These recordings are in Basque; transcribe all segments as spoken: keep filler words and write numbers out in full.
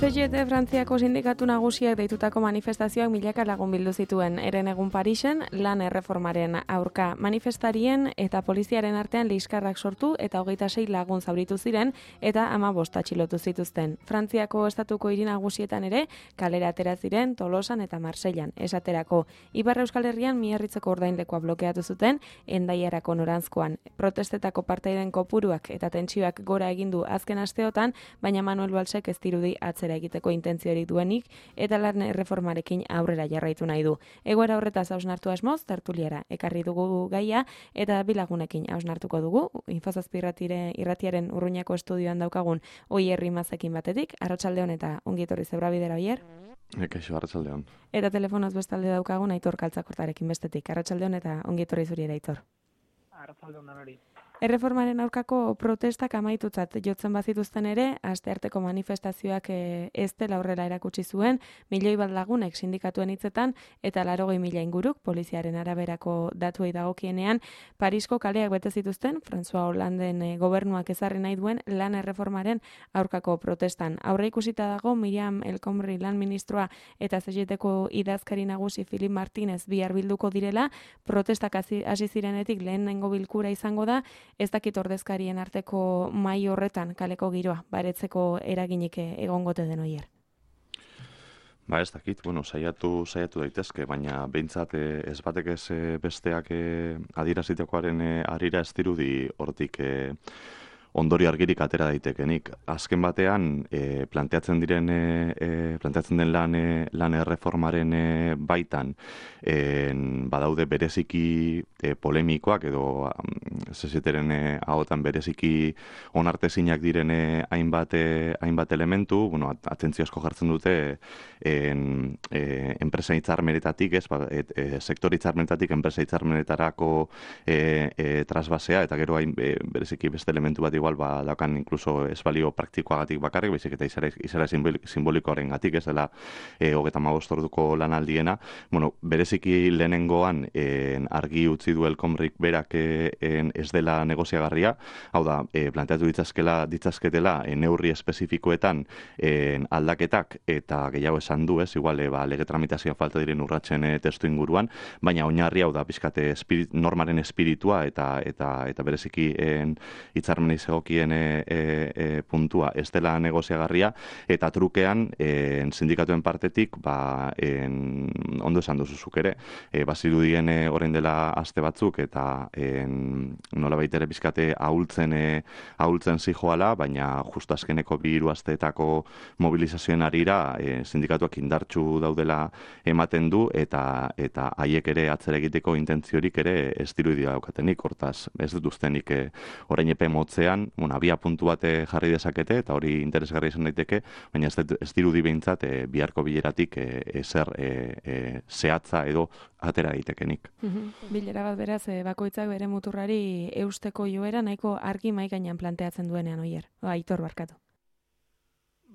C G T Frantziako sindikatu nagusiak deitutako manifestazioak milaka lagun bildu zituen Herenegun Parisen lan erreformaren aurka. Manifestarien eta poliziaren artean liskarrak sortu eta hogeita sei lagun zauritu ziren eta hamabost atxilotu zituzten. Frantziako estatuko hiri nagusietan ere kalera atera ziren Tolosan eta Marseillan. Esaterako, Ipar Euskal Herrian Miarritzeko ordainlekoa blokeatu zuten Hendaiarako noranzkoan. Protestetako partaiden kopuruak eta tentsioak gora egin du azken asteotan, baina Manuel Valsek ez dirudi atzera egiteko intentziorik duenik eta lan erreformarekin aurrera jarraitu nahi du. Egoera horretaz hausnartu asmoz, tertuliara ekarri dugu gaia eta bilagunekin hausnartuko dugu. Infozazpi irratiaren Urruñako estudioan daukagun Oier Rimazekin batetik, arratsaldeon eta ongi etorri Zebrabidera, Oier. Ekaixo, arratsaldeon. Eta telefonoz bestalde daukagun Aitor Kaltzakortarekin bestetik, arratsaldeon eta ongi etorri zuri ere, Aitor. Arratsaldeon danori. Erreformaren aurkako protestak amaitutzat jotzen bazituzten ere, astearteko manifestazioak ez dela aurrera erakutsi zuen, milioi bat lagunek sindikatuen hitzetan eta laurogei mila inguruk poliziaren araberako datuei dagokienean Parisko kaleak bete zituzten François Hollanden gobernuak ezarri nahi duen lan erreformaren aurkako protestan. Aurre ikusita dago Miriam El Khomri lan ministroa eta C G Tko idazkari nagusi Filip Martínez bihar bilduko direla, protestak hasi zirenetik lehenengo bilkura izango da. Ez dakit ordezkarien arteko mahai horretan kaleko giroa, baretzeko eraginik egongote den, Oier. Ba ez dakit, bueno, saiatu, saiatu daitezke, baina behintzat ez batek ez besteak adierazitekoaren harira ez dirudi hortik ondorio argirik atera daitekenik. Azken batean, e, planteatzen diren e, planteatzen den lan e, lan erreformaren e, baitan e, badaude bereziki e, polemikoak edo zezeteren e, ahotan bereziki onartezinak diren e, hainbat e, hainbat elementu, bueno, atentzio asko jartzen dute en, e, enpresa hitzarmenetatik, ez, ba, et, e, sektore hitzarmenetatik enpresa hitzarmenetarako e, e, trasbasea eta gero hain e, bereziki beste elementu bat igual ba daukan incluso ez balio praktikoagatik bakarrik, baizik eta izara, izara simbolikoaren gatik, ez dela e, hogeita hamabost orduko lanaldiena. Bueno, bereziki lehenengoan en, argi utzi du El Khomrik berak en, ez dela negoziagarria, hau da, e, planteatu ditzazkela, ditzazketela e, neurri espezifikoetan en, aldaketak eta gehiago esan du, ez, igual, e, ba, lege tramitazioa falta diren urratsen e, testu inguruan, baina oinarri hau da, pizkate espirit, normaren espiritua eta eta eta bereziki hitzarmenei egokien e, e, e, puntua ez dela negoziagarria eta trukean e, sindikatuen partetik ba, en, ondo esan duzuzuk ere e, bazirudien e, orain dela aste batzuk eta en, nola baitere bizkate ahultzen e, ahultzen zijoala, baina justu azkeneko bi hiru asteetako mobilizazioen arira e, sindikatuak indartsu daudela ematen du eta eta haiek ere atzera egiteko intentziorik ere ez dirudi daukatenik, hortaz ez dut ustenik e, orain epe motzean bueno, abia puntu bate jarri dezakete eta hori interesgarri izan daiteke, baina ez, ez dirudi behintzat e, biharko bileratik e, ezer e, e, zehatza edo atera daitekenik. Bilera bat beraz, e, bakoitzak bere muturrari eusteko joera nahiko argi mahai gainean planteatzen duenean, Oier. Aitor, barkatu.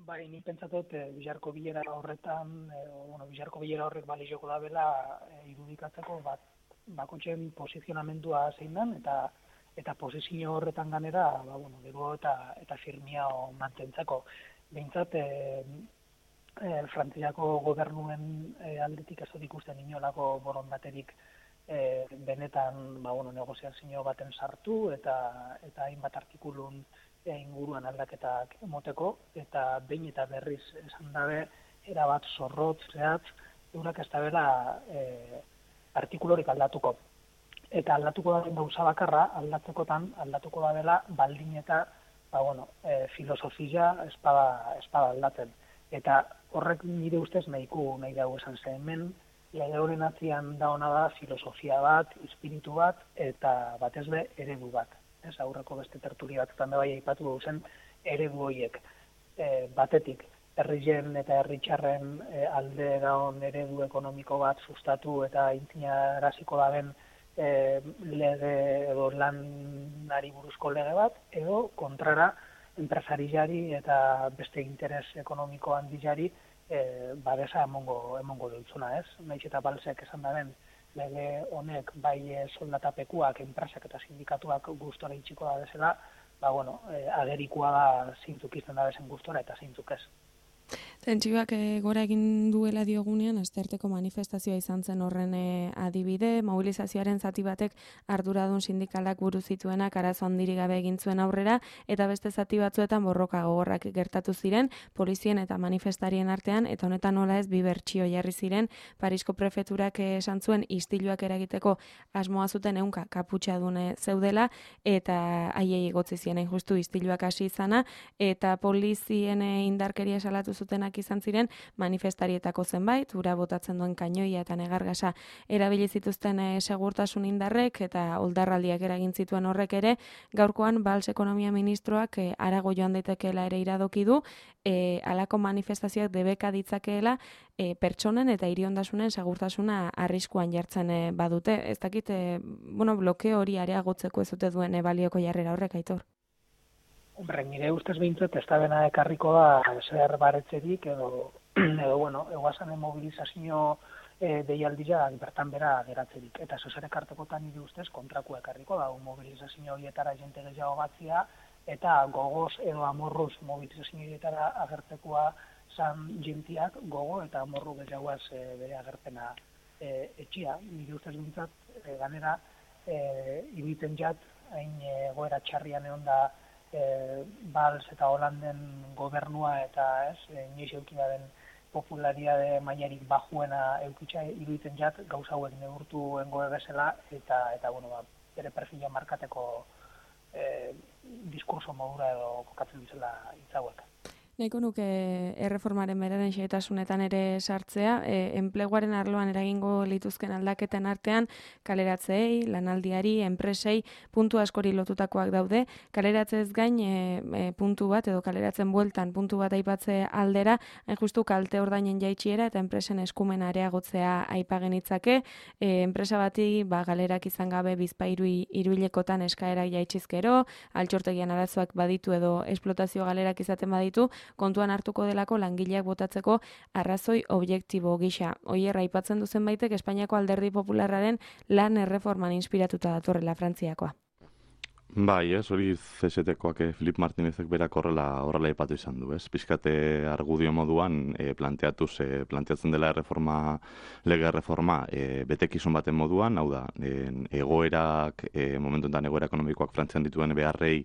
Bai, ni pentsatut e, biharko bilera horretan, e, bueno, biharko bilera horrek balioko da bela e, irudikatzeko bat bakoitzen posizionamendua zein den eta eta posizio horretan ganera, ba, bueno, gero eta, eta firmia mantentzako. Behintzat, e, e, Frantziako gobernuen e, aldetik ez dut ikusten inolako borondaterik e, benetan ba, bueno, negoziazio baten sartu eta eta hainbat artikulun e, inguruan aldaketak emoteko, eta behin eta berriz esan dabe, erabat zorrotz, zehatz, eurak ez dabela e, artikulorik aldatuko. Eta aldatuko da gauza bakarra, aldatzekotan aldatuko da dela baldin eta ba, bueno, e, filosofia espada, espada aldatzen. Eta horrek nire ustez nahiko nahi dago esan zen hemen, lehioren atzian da hona da filosofia bat, espiritu bat, eta batez be eredu bat. Ez aurreko beste tertulia batzutan da bai aipatu duzen eredu horiek. E, batetik, herrien eta herritxarren e, alde daun eredu ekonomiko bat sustatu eta intinaraziko da ben E, lege edo lanari buruzko lege bat, edo kontrara enpresariari eta beste interes ekonomiko handilari e, babesa emongo, emongo dutzuna, ez? Naiz eta balsek esan daren lege honek bai soldatapekuak, enpresak eta sindikatuak gustora itxiko da bezala, ba, bueno, e, agerikoa da zeintzuk izten da bezen gustora eta zeintzuk ez. Tentsioak e, gora egin duela diogunean, astearteko manifestazioa izan zen horren e, adibide, mobilizazioaren zati batek arduradun sindikalak buru zituenak arazo handirik gabe egin zuen aurrera, eta beste zati batzuetan borroka gogorrak gertatu ziren, polizien eta manifestarien artean, eta honetan nola ez bi bertsio jarri ziren, Parisko prefeturak esan zuen istiluak eragiteko asmoa zuten ehunka kaputxadune zeudela, eta haiei egotzi ziren justu istiluak hasi izana, eta polizien indarkeria salatu zutenak izan ziren manifestarietako zenbait, ura botatzen duen kainoia eta negargasa erabili zituzten e, segurtasun indarrek eta oldarraldiak eragin zituen horrek ere, gaurkoan Valls ekonomia ministroak e, arago joan daitekeela ere iradoki du, e, alako manifestazioak debeka ditzakeela e, pertsonen eta hiriondasunen segurtasuna arriskuan jartzen e, badute. Ez dakit, e, bueno, blokeo hori areagotzeko ez dute duen e, balioko jarrera horrek, Aitor? Hombre, nire ustez behintzat ez da bena ekarriko da zer baretzerik edo, edo bueno, eguazan mobilizazio e, deialdia bertan bera geratzerik. Eta zozer ekartekotan nire ustez kontraku ekarriko da, mobilizazio horietara jente gehiago batzia, eta gogoz edo amorruz mobilizazio horietara agertzekoa zan jentiak gogo eta amorru gehiagoaz e, bere agerpena e, etxia. Nire ustez behintzat, e, ganera, e, ibiten jat, hain egoera txarrian egon da E, Valls eta Holanden gobernua eta ez, e, inoiz eukidaren populariade mailarik bajuena eukitza iruditzen jat, gauza hauek neurtu engoe bezala, eta, eta bueno, ba, bere perfila markateko e, diskurso modura edo kokatzen dizela hitzauek. Nahiko nuke erreformaren beraren xehetasunetan ere sartzea, e, enpleguaren arloan eragingo lituzken aldaketen artean kaleratzeei, lanaldiari, enpresei, puntu askori lotutakoak daude. Kaleratzez gain e, e, puntu bat edo kaleratzen bueltan puntu bat aipatze aldera, hain justu kalte ordainen jaitsiera eta enpresen eskumen areagotzea aipagen itzake. E, enpresa bati ba, galerak izan gabe bizpahiru hiruhilekotan eskaerak jaitsizkero, altxortegian arazoak baditu edo esplotazio galerak izaten baditu, kontuan hartuko delako langileak botatzeko arrazoi objektibo gisa. Oier, aipatzen duzen baitek Espainiako Alderdi Popularraren lan erreforman inspiratuta datorrela Frantziakoa. Bai, ez, hori C S T-koak Filip Martinezek berak horrela horrela aipatu izan du, ez? Pizkate argudio moduan e, planteatuz, e, planteatzen dela erreforma, lege erreforma e, betekizun baten moduan, hau da, e, egoerak, e, momentu enten egoera ekonomikoak Frantzian dituen beharrei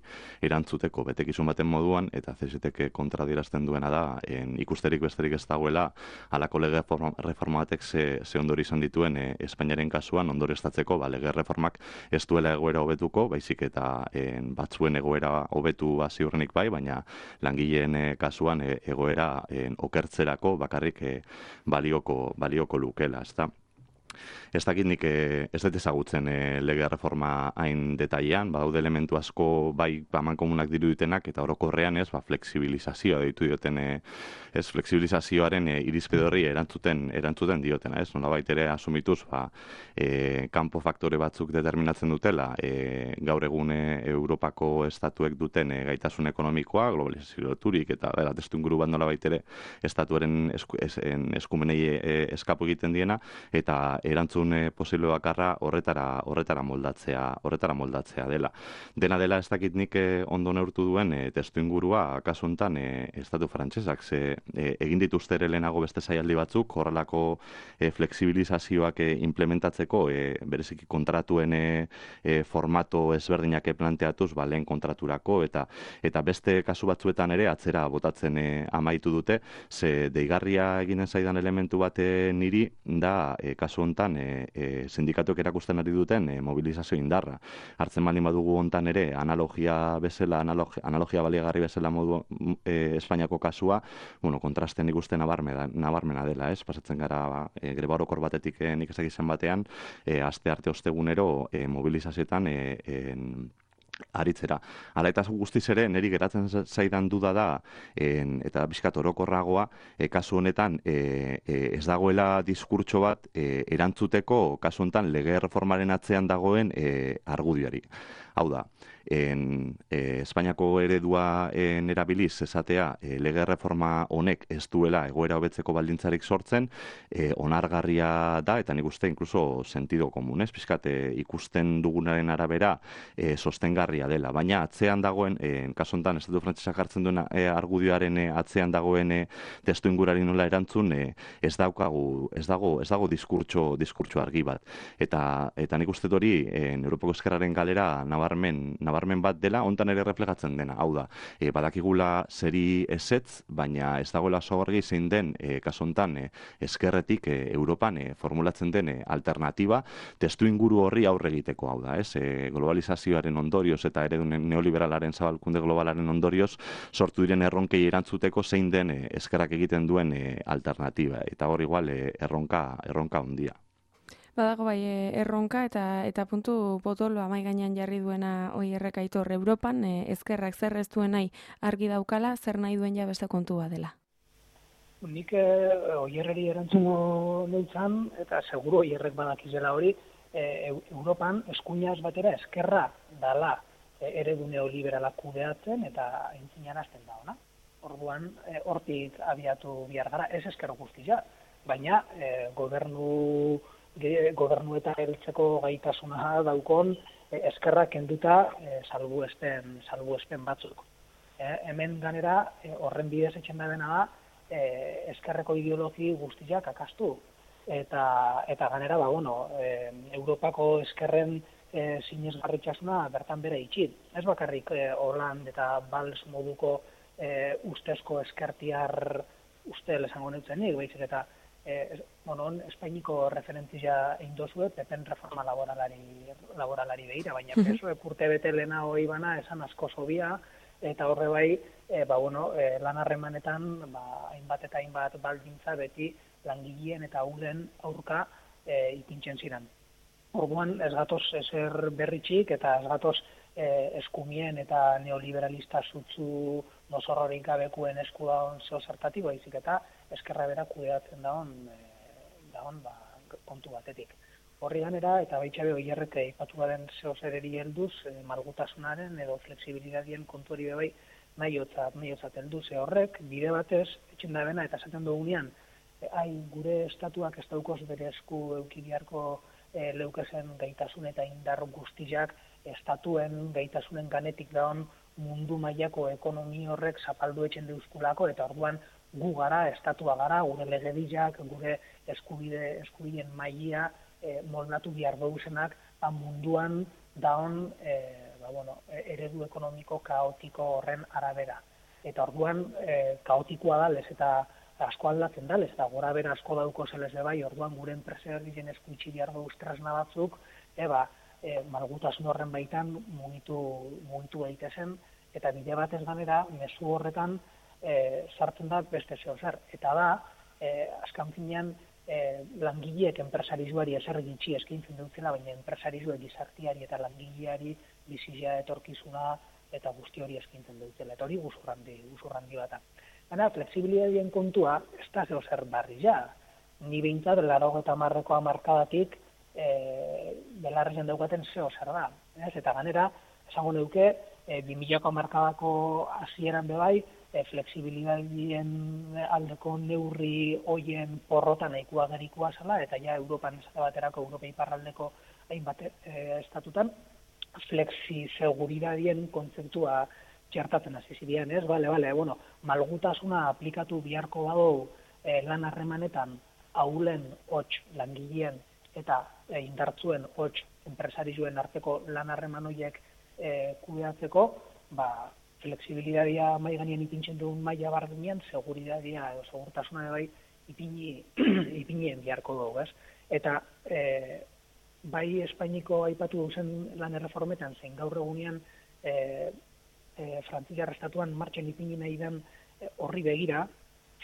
erantzuteko betekizun baten moduan, eta C S T-k kontradierazten duena da, en, ikusterik besterik ez dagoela, halako lege reforma, reforma batek ze, ze ondori izan dituen e, Espainiaren kasuan ondorioztatzeko, ba, lege reformak ez duela egoera hobetuko, baizik eta En batzuen egoera hobetu ziurrenik bai, baina langileen e, kasuan e, egoera en, okertzerako bakarrik e, balioko, balioko lukela, ezta? Ez dakit nik ez dut ezagutzen e, lege reforma hain detailean, badaude elementu asko bai amankomunak diruditenak eta orokorrean ez, ba, fleksibilizazioa deitu dioten, e, ez fleksibilizazioaren e, irizpide horri erantzuten, erantzuten diotena, ez? Nolabait ere asumituz, ba, e, kanpo faktore batzuk determinatzen dutela, e, gaur egun Europako estatuek duten e, gaitasun ekonomikoa, globalizazioturik eta bera, testuinguru bat nolabait ere estatuaren esku, es, eskumenei e, eskapu egiten diena, eta erantzun posible bakarra horretara horretara moldatzea, horretara moldatzea dela. Dena dela ez dakit nik ondo neurtu duen e, testuingurua kasu hontan e, estatu frantsesak ze e, egin dituzte ere lehenago beste saialdi batzuk horrelako e, fleksibilizazioak e, implementatzeko e, bereziki kontratuen e, e, formato ezberdinak planteatuz, ba, lehen kontraturako eta eta beste kasu batzuetan ere atzera botatzen e, amaitu dute, ze deigarria eginen zaidan elementu bat e, niri da e, kasu hontan e, e, sindikatuek erakusten ari duten e, mobilizazio indarra. Hartzen baldin badugu hontan ere analogia bezala, analogia, analogia baliagarri bezala modu e, Espainiako kasua, bueno, kontrasten ikusten nabarmena, nabarmena dela, ez? Pasatzen gara ba, e, greba orokor batetik e, nik ezak izan batean, e, aste arte ostegunero e, mobilizazioetan e, en, aritzera. Hala eta guztiz ere, niri geratzen zaidan duda da, en, eta bizkat orokorragoa, e, kasu honetan e, e, ez dagoela diskurtso bat e, erantzuteko kasu honetan lege reformaren atzean dagoen e, argudioari. Hau da, en, e, Espainiako eredua en erabiliz esatea e, lege reforma honek ez duela egoera hobetzeko baldintzarik sortzen, e, onargarria da, eta nik uste inkluso sentido komunez, pixkat e, ikusten dugunaren arabera e, sostengarria dela. Baina atzean dagoen, e, kasu honetan, Estatu Frantsesak hartzen duen e, argudioaren e, atzean dagoen e, testu ingurari nola erantzun, e, ez daukagu, ez dago, ez dago diskurtso, diskurtso argi bat. Eta, eta nik uste hori, e, Europako Ezkerraren galera nabarmen, nabarmen bat dela, hontan ere reflejatzen dena. Hau da, e, badakigula zeri ezetz, baina ez dagoela oso argi zein den, e, kasu honetan, e, ezkerretik e, Europan e, formulatzen den e, alternatiba, testu inguru horri aurre egiteko, hau da, ez? E, globalizazioaren ondorioz eta eredu neoliberalaren zabalkunde globalaren ondorioz sortu diren erronkei erantzuteko zein den e, ezkerrak egiten duen e, alternatiba. Eta hor igual e, erronka, erronka handia. Badago bai erronka eta eta puntu potolo amai gainean jarri duena Oierrek Aitor, Europan e, ezkerrak zer ez duen nahi argi daukala, zer nahi duen ja beste kontua dela. Nik e, Oierreri erantzungo nintzen, eta seguro Oierrek badakizela hori, e, Europan eskuinaz batera ezkerra dala e, eredu neoliberala kudeatzen eta entzinan hasten da ona. Orduan, e, hortik abiatu bihar gara, ez ezker guztia, baina e, gobernu gobernu eta heltzeko gaitasuna daukon eh, eskerrak kenduta eh, salbuespen, salbuespen batzuk. Eh, hemen ganera eh, horren bidez etxen da dena da eh, eskerreko ideologi guztiak akastu. Eta, eta ganera, ba, bueno, eh, Europako eskerren eh, sinesgarritxasuna bertan bere itxit. Ez bakarrik eh, Hollande eta Valls moduko eh, ustezko eskertiar ustel esango nintzenik, baizik eta Eh, bueno, Espainiko referentzia indozue, pepen reforma laboralari, laboralari behira, baina peso urte bete lehena hoi bana esan asko zobia, eta horre bai, eh, ba, bueno, eh, lan harremanetan, ba, hainbat eta hainbat baldintza beti langileen eta ulen aurka eh, ipintzen ziren. Orduan ez gatoz ezer berritxik eta ez gatoz eh, eskumien eta neoliberalista zutzu nozorrorik gabekuen esku daun zeo zertati, baizik eta eskerra bera kudeatzen daun, e, daun ba, kontu batetik. Horri ganera, eta baitxabe Oierrek aipatu baden zeo zereri helduz, e, malgutasunaren edo fleksibilidadien kontu hori bebai nahi otzat, nahi otzat helduz, e horrek, bide batez, etxen da bena eta esaten dugunean, e, ai, gure estatuak ez daukoz bere esku eukibiarko e, leukezen gaitasun eta indar guztiak estatuen gaitasunen ganetik daun mundu mailako ekonomi horrek zapaldu etxen deuskulako, eta orduan gu gara, estatua gara, gure legediak, gure eskubide, eskubideen maila e, moldatu behar duzenak, ba, munduan daun e, ba, bueno, eredu ekonomiko kaotiko horren arabera. Eta orduan e, kaotikoa dalez eta asko aldatzen dalez, eta gora bera asko dauko zelez bai, orduan gure enpresarien eskuitzi behar dugu tresna batzuk, eba, e, malgutasun horren baitan mugitu, mugitu daitezen, eta bide batez ganera, mezu horretan, E, sartzen da beste zeo zer. Eta da, e, azkan finean, e, langileek enpresarizuari ezer gitxi eskaintzen dutzela, baina enpresarizuek gizartiari eta langileari bizizia etorkizuna eta guzti hori eskaintzen dutzela. Eta hori guzurrandi, guzurrandi bata. Baina, fleksibilidadien kontua, ez da zeo zer barri ja. Ni behintzat, laro eta marrekoa markadatik, e, belarrezen daukaten zeo zer da. Ez? Eta ganera, esango neuke, e, bi milako markadako hasieran bebai, E, fleksibilidadien aldeko neurri hoien porrota nahikoa gerikoa zela, eta ja Europan esate baterako, Europa iparraldeko hainbat e, estatutan, flexi seguridadien kontzeptua txertatzen hasi ziren, ez? Bale, bale, bueno, malgutasuna aplikatu biharko badu e, lan harremanetan ahulen hots langileen eta e, indartzuen hots enpresarizuen arteko lan harreman horiek e, kudeatzeko, ba, fleksibilidadia mai ganean ipintzen duen maila bardinean, seguridadia edo segurtasuna bai ipini, ipinien biharko dugu, ez? Eta e, bai Espainiko aipatu duzen lan erreformetan, zein gaur egunean e, e, Frantziar estatuan martxan ipini nahi den horri begira,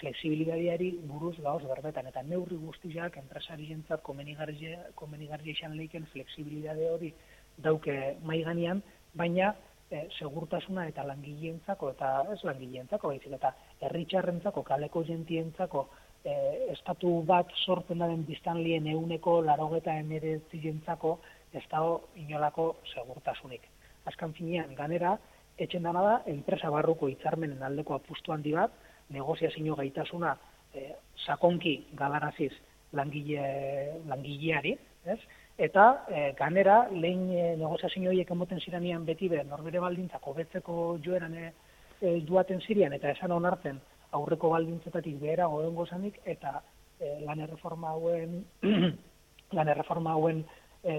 fleksibilidadiari buruz gauz berbetan, eta neurri guztiak enpresarientzat komenigarria izan leiken fleksibilidade hori dauke mai ganean, baina E, segurtasuna eta langileentzako, eta ez langileentzako, baizik eta herritxarrentzako, kaleko jentientzako, e, estatu bat sortzen den biztanlien euneko larogeta emeretzientzako ez dago inolako segurtasunik. Azkan finean, ganera, etxen dana da, enpresa barruko hitzarmenen aldeko apustu handi bat, negoziazio gaitasuna e, sakonki galaraziz langile, langileari, ez? Eta e, ganera, lehen e, negoziazio horiek emoten ziranean beti be, norbere baldintzak hobetzeko joeran e, e, duaten zirian, eta esan onartzen aurreko baldintzetatik behera godengo zanik, eta e, lan erreforma hauen, lan erreforma hauen e,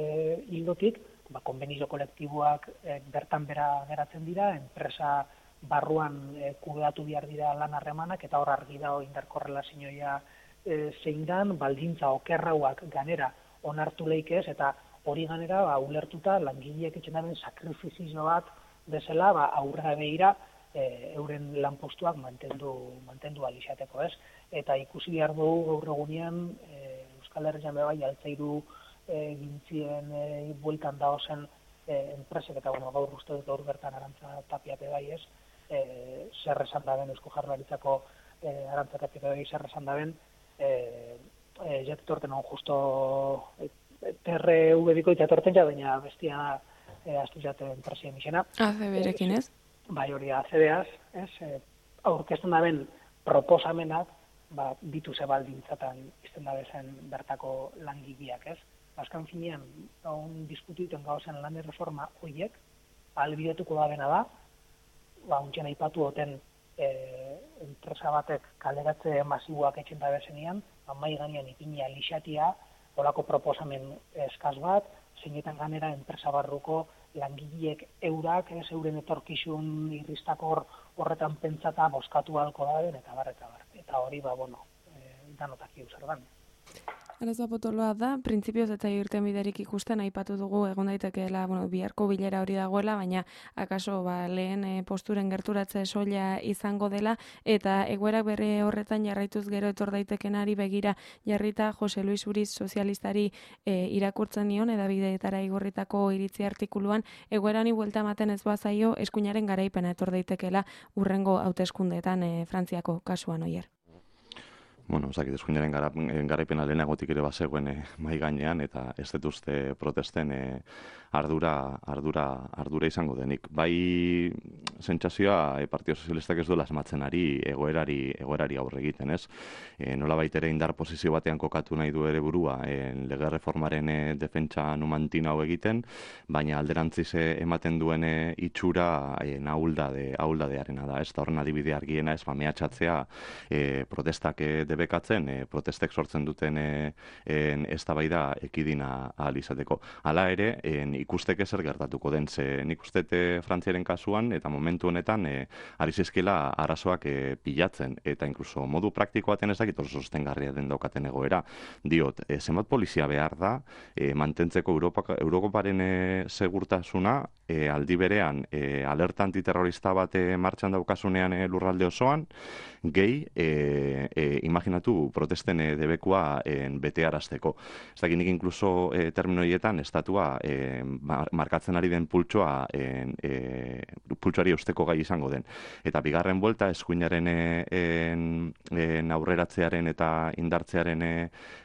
hildotik, ba, konbenizio kolektiboak e, bertan bera geratzen dira, enpresa barruan e, kudeatu behar dira lan harremanak, eta hor argi dago indarkorrelazioa e, zein dan, baldintza okerrauak ganera onartu leikez, eta hori ganera ba, ulertuta langileek etxen daren sakrifizio bat bezala ba, aurrera behira e, euren lanpostuak mantendu, mantendu alizateko, ez? Eta ikusi behar dugu gaur egunean e, Euskal Herrian bebai altzairu e, gintzien e, bueltan da ozen e, enpresek, eta bueno, gaur uste dut gaur bertan Arantza Tapia bebai, ez? E, zer esan da ben, Eusko Jaurlaritzako e, Arantza Tapia bebai zer esan da ben, e, e, jatetorten hon justo e, T R V bikoitza torten ja, baina bestia e, astu jate enpresien izena. A C B-rekin, ez? Bai, hori A C B-az, ez? E, aurkezten da ben proposamenak, ba, bitu ze baldintzatan izten da bezen bertako langileak, ez? Azkan finean, on diskututen gauzen lan erreforma horiek, ahalbidetuko da bena da, ba, untxen aipatu oten e, enpresa batek kaleratze masiboak etxen da bezenean, ba, mai ganean ipini alixatia, olako proposamen eskaz bat, zeinetan ganera enpresa barruko langileek eurak, ez euren etorkizun irristakor horretan pentsata boskatu halko da den, eta bar, eta bar. Eta hori, ba, bueno, e, danotak zer dan. Arazoa potoloa da, printzipioz eta irten biderik ikusten aipatu dugu egon daitekeela, bueno, biharko bilera hori dagoela, baina akaso ba, lehen e, posturen gerturatze soila izango dela, eta egoerak bere horretan jarraituz gero etor daitekenari begira jarrita Jose Luis Uriz sozialistari e, irakurtzen nion, edabideetara igorritako iritzi artikuluan, egoerani buelta ematen ez bazaio eskuinaren garaipena etor daitekeela urrengo hauteskundeetan e, Frantziako kasuan oier. Bueno, osakit, eskuinaren garaipena lehenagotik ere bazegoen e, mai gainean, eta ez detuzte protesten e, ardura, ardura, ardura izango denik. Bai, sentsazioa e, Partido Sozialistak ez duela asmatzen ari egoerari, egoerari aurre egiten, ez? E, nola baitere indar posizio batean kokatu nahi du ere burua, e, lege reformaren e, defentsa numantin hau egiten, baina alderantziz ematen duen e, itxura e, nahuldade, ahuldadearena da, ez da horren adibide argiena, ez, ba, mehatxatzea e, protestak e, debekatzen, e, protestek sortzen duten e, en, eztabaida ekidina ahal izateko. Hala ere, en, ikusteke zer gertatuko den, ze nik ustete Frantziaren kasuan, eta momentu honetan, e, ari zizkila arazoak e, pilatzen, eta inkluso modu praktiko baten ez dakit oso sostengarria den daukaten egoera. Diot, e, zenbat polizia behar da, e, mantentzeko Europa, Eurokoparen e, segurtasuna, e, aldi berean, e, alerta antiterrorista bat e, martxan daukasunean e, lurralde osoan, gehi, e, e, imaginatu protesten e, debekua e, bete arazteko. Ez dakit nik inkluso e, termino horietan estatua e, markatzen ari den pultsoa e, e, pultsoari eusteko gai izango den. Eta bigarren buelta eskuinaren e, en, en aurreratzearen eta indartzearen e,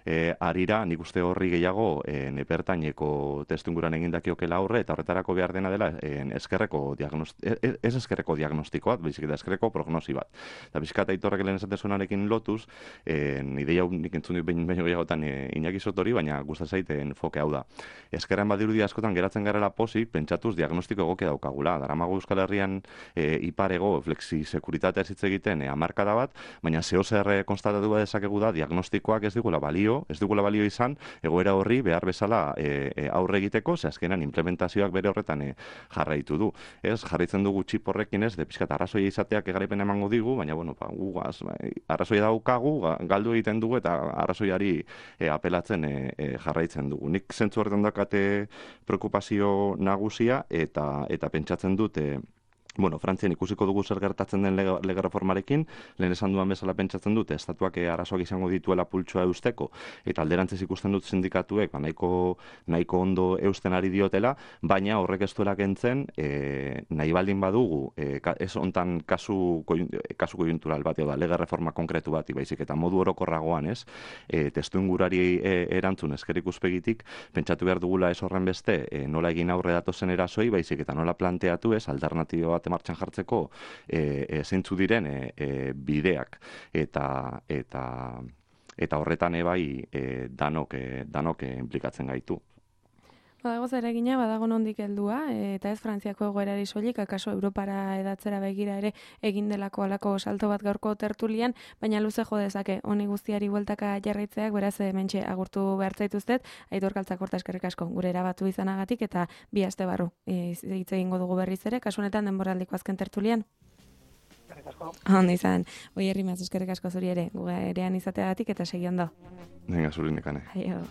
e, arira, nik uste horri gehiago e, nepertaineko testunguran egindakiokela aurre, eta horretarako behar dena dela en, eskerreko diagnostiko, ez eskerreko diagnostiko bat, baizik eta eskerreko prognosi bat. Eta bizkat aitorrek lehen esatezunarekin lotuz, en, ideia nik entzun dut behin gehiagotan e, Iñaki Sotori, baina gustat zaiten foke hau da. Eskerren badirudi askotan geratzen garela pozik, pentsatuz diagnostiko egokia daukagula. Daramago Euskal Herrian e, iparego flexi sekuritatea hitz egiten e, hamarkada bat, baina zeo zer konstatatu bat dezakegu da diagnostikoak ez digula balio, ez digula balio izan, egoera horri behar bezala e, e, aurre egiteko, ze azkenan implementazioak bere horretan e, jarraitu du. Ez, jarraitzen dugu txip horrekin ez, de pixkat arrazoia izateak egaraipen emango digu, baina bueno, pa, gugaz, bai, arrazoia daukagu, galdu egiten dugu eta arrazoiari e, apelatzen e, e, jarraitzen dugu. Nik zentzu horretan dakate preokupazio nagusia eta eta pentsatzen dute Bueno, Frantzian ikusiko dugu zer gertatzen den lege, lege reformarekin, lehen esan duan bezala pentsatzen dute, estatuak arazoak izango dituela pultsua eusteko, eta alderantzez ikusten dut sindikatuek, ba, nahiko, nahiko ondo eusten ari diotela, baina horrek ez duela kentzen, e, nahi baldin badugu, e, ez ontan kasu, kasu koiuntural bat, da, lege reforma konkretu bat, baizik, eta modu orokorragoan, ez, e, testu ingurari e, erantzun esker ikuspegitik, pentsatu behar dugula ez horren beste, e, nola egin aurre datozen erasoi, baizik, eta nola planteatu ez, alternatibo bat martxan jartzeko e, e, zeintzu diren e, e, bideak eta eta eta horretan ebai e, danok e, danok e, implikatzen gaitu. Badago zeregina, badago nondik heldua, eta ez Frantziako egoerari soilik, akaso Europara edatzera begira ere egin delako alako salto bat gaurko tertulian, baina luze jo dezake honi guztiari bueltaka jarraitzeak, beraz hementxe agurtu behar zaituztet, Aitor Kaltzakorta eskerrik asko gure erabatu izanagatik eta bi aste barru hitz egingo dugu berriz ere, kasu honetan denboraldiko azken tertulian. Eskerrik asko. Ondo izan. Oi herri maz eskerrik asko zuri ere, gurean izateagatik eta segi ondo. Venga, zuri nekane. Aio.